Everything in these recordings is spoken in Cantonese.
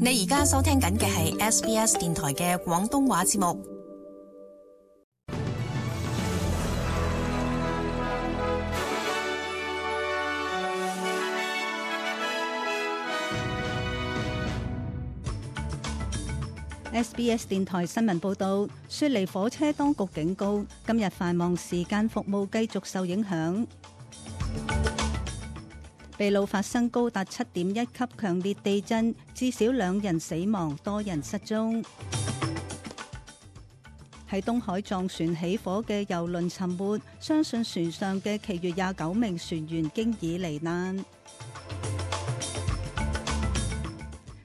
你而家收聽緊嘅係 SBS 電台嘅廣東話節目。SBS 電台新聞報道，雪梨火車當局警告，今日繁忙時間服務繼續受影響。秘魯發生高達7.1級強烈地震，至少2人死亡，多人失蹤。喺東海撞船起火嘅郵輪沉沒，相信船上嘅其餘29名船員經已罹難。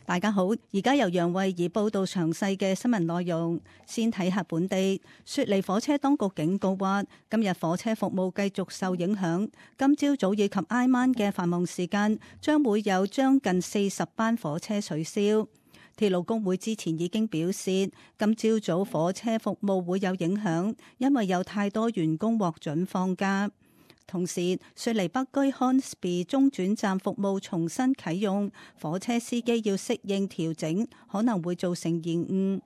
大家好，而家由楊慧儀報道詳細嘅新聞內容。先睇下本地，雪梨火車當局警告話，今日火車服務繼續受影響。今朝早以及挨晚嘅繁忙時間，將會有將近40班火車取消。鐵路工會之前已經表示，今朝早火車服務會有影響，因為有太多員工獲准放假。同時，雪梨北區 Hornsby 中轉站服務重新啟用，火車司機要適應調整，可能會造成延誤。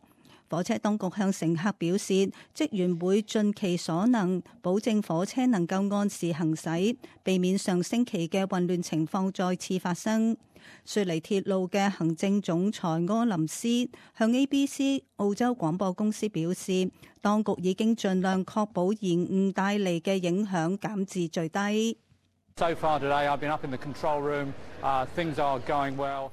火車當局向乘客表示，職員會盡其所能，保證火車能夠按時行駛，避免上星期嘅混亂情況再次發生。雪梨鐵路嘅行政總裁柯林斯向 ABC 澳洲廣播公司表示，當局已經盡量確保延誤帶嚟嘅影響減至最低。So far today, I've been up in the control room. Things are going well.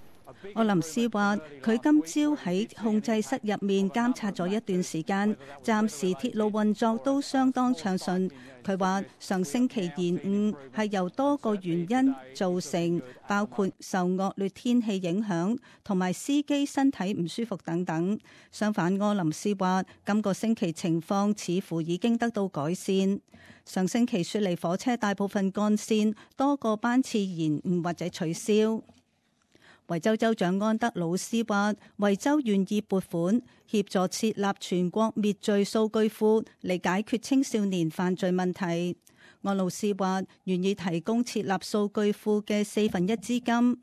柯林斯話：佢今朝喺控制室入面監察咗一段時間，暫時鐵路運作都相當暢順。佢話上星期延誤係由多個原因造成，包括受惡劣天氣影響同埋司機身體唔舒服等等。相反，柯林斯話今個星期情況似乎已經得到改善。上星期雪梨火車大部分幹線多個班次延誤或者取消。維州州長安德魯斯話，維州願意撥款協助設立全國滅罪數據庫嚟解決青少年犯罪問題。安魯斯話願意提供設立數據庫嘅1/4資金。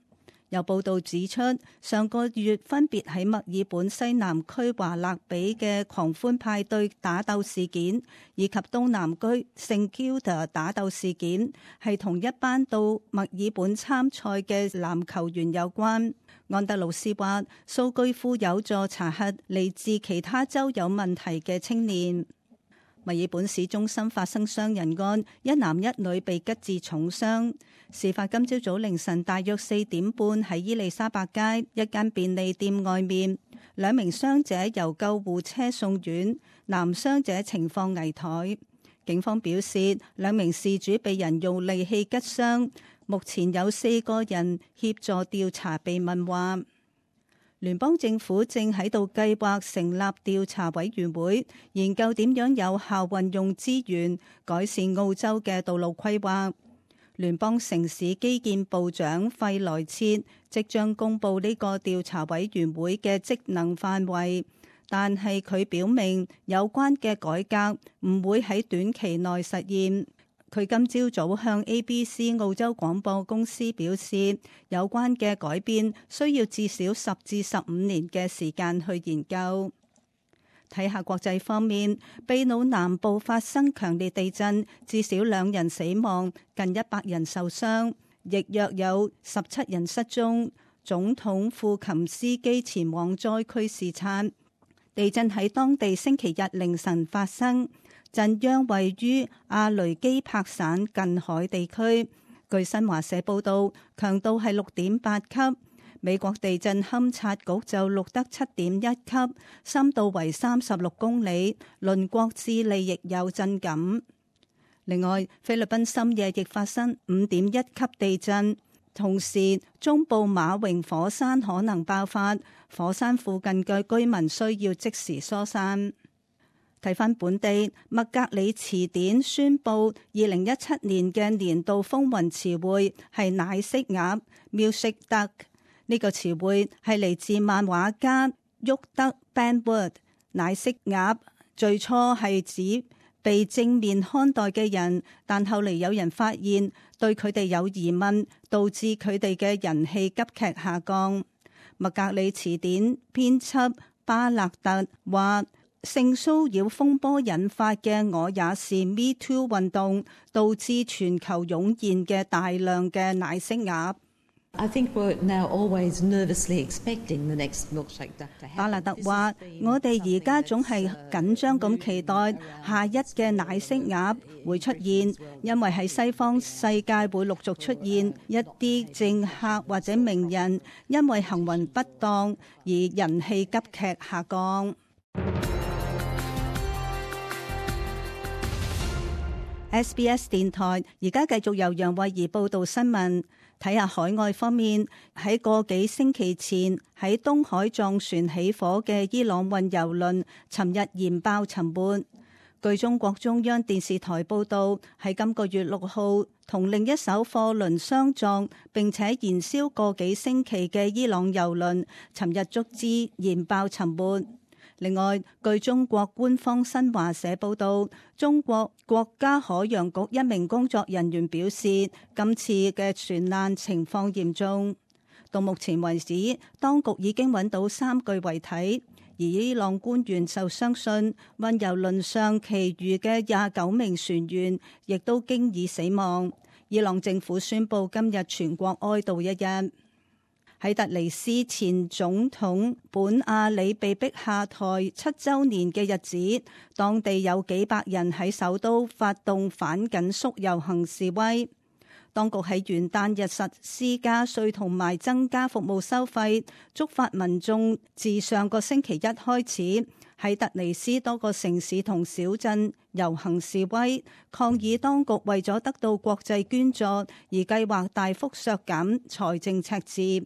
有報道指出，上個月分別喺墨爾本西南區華勒比嘅狂歡派對打鬥事件，以及東南區聖 Kilda 打鬥事件，係同一班到墨爾本參賽嘅籃球員有關。安德魯斯話，數據庫有助查核嚟自其他州有問題嘅青年。墨爾本市中心發生傷人案，一男一女被吉至重傷。事發今朝早凌晨大約4點半喺伊利沙伯街一間便利店外面，2名傷者由救護車送院，男傷者情況危殆。警方表示，2名事主被人用利器拮傷，目前有4個人協助調查被問話。聯邦政府正喺度計劃成立調查委員會，研究點樣有效運用資源，改善澳洲嘅道路規劃。聯邦城市基建部長費萊切即將公布呢個調查委員會嘅職能範圍，但係佢表明有關嘅改革唔會喺短期內實現。佢今朝早向 ABC 澳洲廣播公司表示，有關嘅改變需要至少10至15年嘅時間去研究。睇下國際方面，秘魯南部發生強烈地震，至少2人死亡，近100人受傷，亦約有17人失蹤。總統庫琴斯基前往災區視察。地震喺當地星期日凌晨發生。震央位於阿雷基帕省近海地區，據新華社報道，強度係6.8級。美國地震勘察局就錄得7.1級，深度為36公里。鄰國智利亦有震感。另外，菲律賓深夜亦發生5.1級地震，同時中部馬榮火山可能爆發，火山附近嘅居民需要即時疏散。睇返本地，麥格里詞典宣布2017年嘅年度風雲詞彙係奶昔鴨 （Milkshake Duck）。呢個詞彙係嚟自漫畫家沃德 （Benwood）。奶昔鴨最初係指被正面看待嘅人，但後嚟有人發現對佢哋有疑問，導致佢哋嘅人氣急劇下降。麥格里詞典編輯巴勒特話，性騷擾風波引發嘅我也是 Me Too 運動，導致全球湧現嘅大量嘅奶昔鴨。巴勒特話：我哋而家總係緊張咁期待下一嘅奶昔鴨會出現，因為喺西方世界會陸續出現一啲政客或者名人，因為行為不當而人氣急劇下降。SBS 電台而家繼續由楊慧儀報道新聞。睇下海外方面，喺個幾星期前喺東海撞船起火嘅伊朗運油輪，尋日燃爆沉沒。據中國中央電視台報道，喺今個月6號同另一艘貨輪相撞並且燃燒個幾星期嘅伊朗油輪，尋日足之燃爆沉沒。另外，據中國官方新華社報道，中國國家海洋局一名工作人員表示，今次嘅船難情況嚴重。到目前為止，當局已經揾到3具遺體，而伊朗官員就相信運油輪上其餘嘅29名船員亦都經已死亡。伊朗政府宣布今日全國哀悼一日。喺突尼斯前總統本阿里被逼下台7週年嘅日子，當地有幾百人喺首都發動反緊縮遊行示威。當局喺元旦日實施加稅同埋增加服務收費，觸發民眾自上個星期一開始喺突尼斯多個城市同小鎮遊行示威，抗議當局為咗得到國際捐助而計劃大幅削減財政赤字。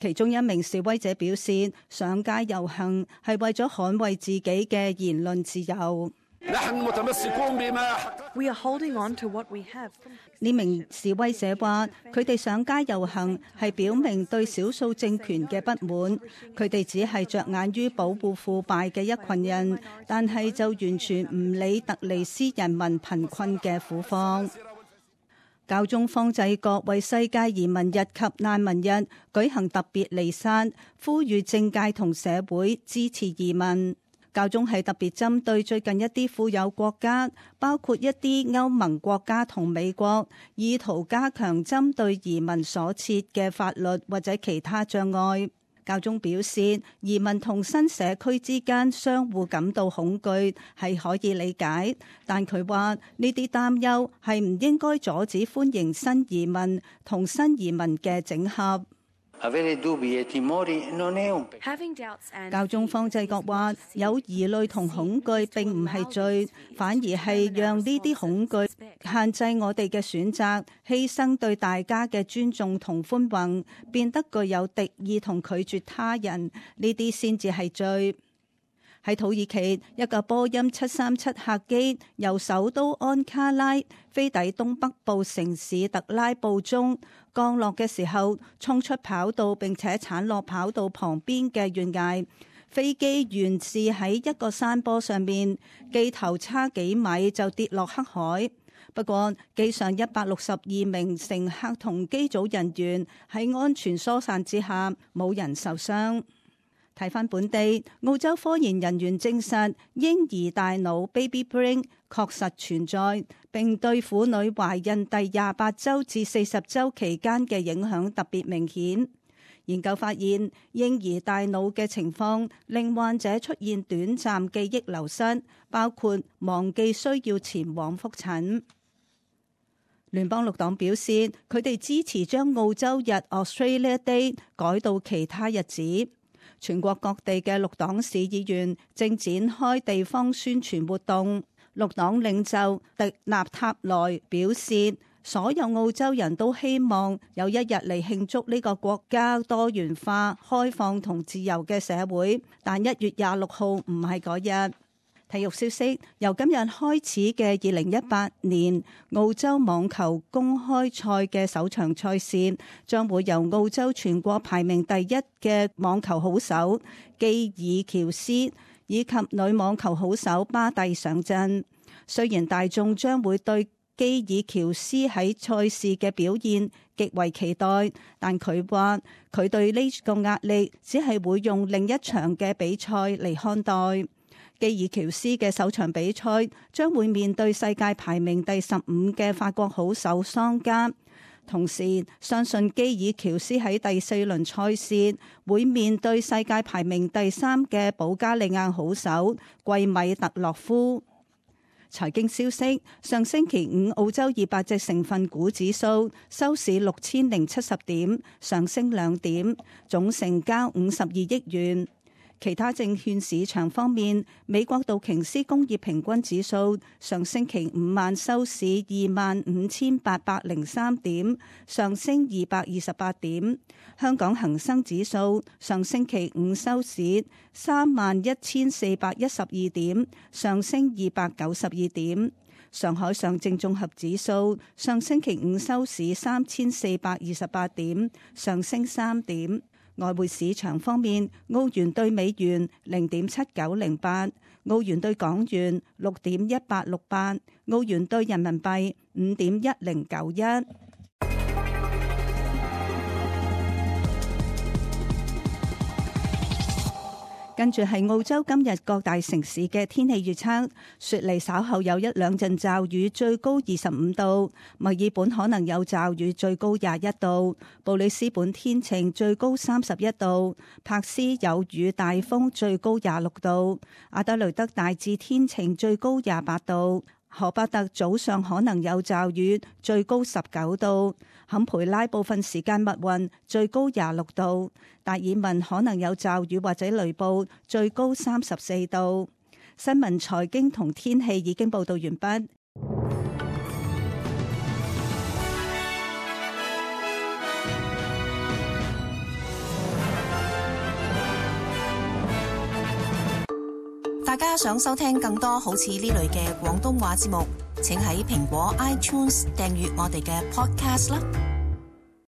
其中一名示威者表示，上街遊行係為咗捍衛自己嘅言論自由。呢名示威者話，佢哋上街遊行係表明對少數政權嘅不滿，佢哋只係着眼於保護腐敗嘅一群人，但係就完全唔理突尼斯人民貧困嘅苦況。教宗方濟各為世界移民日及難民日舉行特別彌撒，呼籲政界同社會支持移民。教宗係特別針對最近一啲富有國家，包括一啲歐盟國家同美國，意圖加強針對移民所設嘅法律或者其他障礙。教宗表示，移民同新社區之間相互感到恐懼係可以理解，但佢話呢啲擔憂係唔應該阻止歡迎新移民同新移民嘅整合。教宗方濟各話，有疑慮同恐懼並唔係罪，反而係讓呢啲恐懼限制我哋嘅選擇，犧牲對大家嘅尊重同寬宏，變得具有敵意同拒絕他人，呢啲先至係罪。喺土耳其，一架波音737客機由首都安卡拉飛抵東北部城市特拉布宗，降落嘅時候衝出跑道並且鏟落跑道旁邊嘅懸崖。飛機懸置喺一個山坡上面，機頭差幾米就跌落黑海。不過機上162名乘客同機組人員喺安全疏散之下，冇人受傷。睇返本地，澳洲科研人員證實嬰兒大腦 baby brain 確實存在，並對婦女懷孕第28週至40週期間嘅影響特別明顯。研究發現，嬰兒大腦嘅情況令患者出現短暫記憶流失，包括忘記需要前往覆診。聯邦綠黨表示，佢哋支持將澳洲日 Australia Day 改到其他日子。全國各地嘅綠黨市議員正展開地方宣傳活動。綠黨領袖迪納塔萊表示，所有澳洲人都希望有一日嚟慶祝呢個國家多元化、開放同自由嘅社會，但1月26號唔係嗰日。體育消息，由今日開始嘅2018年澳洲網球公開賽嘅首場賽事，將會由澳洲全國排名第1嘅網球好手基爾喬斯以及女網球好手巴蒂上陣。雖然大眾將會對基爾喬斯喺賽事嘅表現極為期待，但佢話佢對呢個壓力只係會用另一場嘅比賽嚟看待。基爾喬斯嘅首場比賽將會面對世界排名第15嘅法國好手桑加，同時相信基爾喬斯喺第4輪賽事會面對世界排名第3嘅保加利亞好手季米特洛夫。財經消息：上星期五澳洲200隻成分股指數收市6070點，上升2點，總成交52億元。其他證券市場方面，美國道瓊斯工業平均指數上星期五晚收市25,803點，上升228點。香港恒生指數上星期五收市31,412點，上升292點。上海上證綜合指數上星期五收市3,428點，上升3點。外匯市場方面，澳元兌美元0.7908，澳元兌港元6.1868，澳元兌人民幣5.1091。跟住係澳洲今日各大城市嘅天氣預測：雪梨稍後有1-2陣驟雨，最高25度；墨爾本可能有驟雨，最高21度；布里斯本天晴，最高31度；柏斯有雨大風，最高26度；阿德雷德大致天晴，最高28度；荷伯特早上可能有驟雨，最高19度；坎培拉部分時間密雲，最高26度；達爾文可能有驟雨或者雷暴，最高34度。新聞、財經同天氣已經報道完畢。大家想收聽更多好似呢類嘅廣東話節目，請喺蘋果 iTunes 訂閱我哋嘅 Podcast 啦。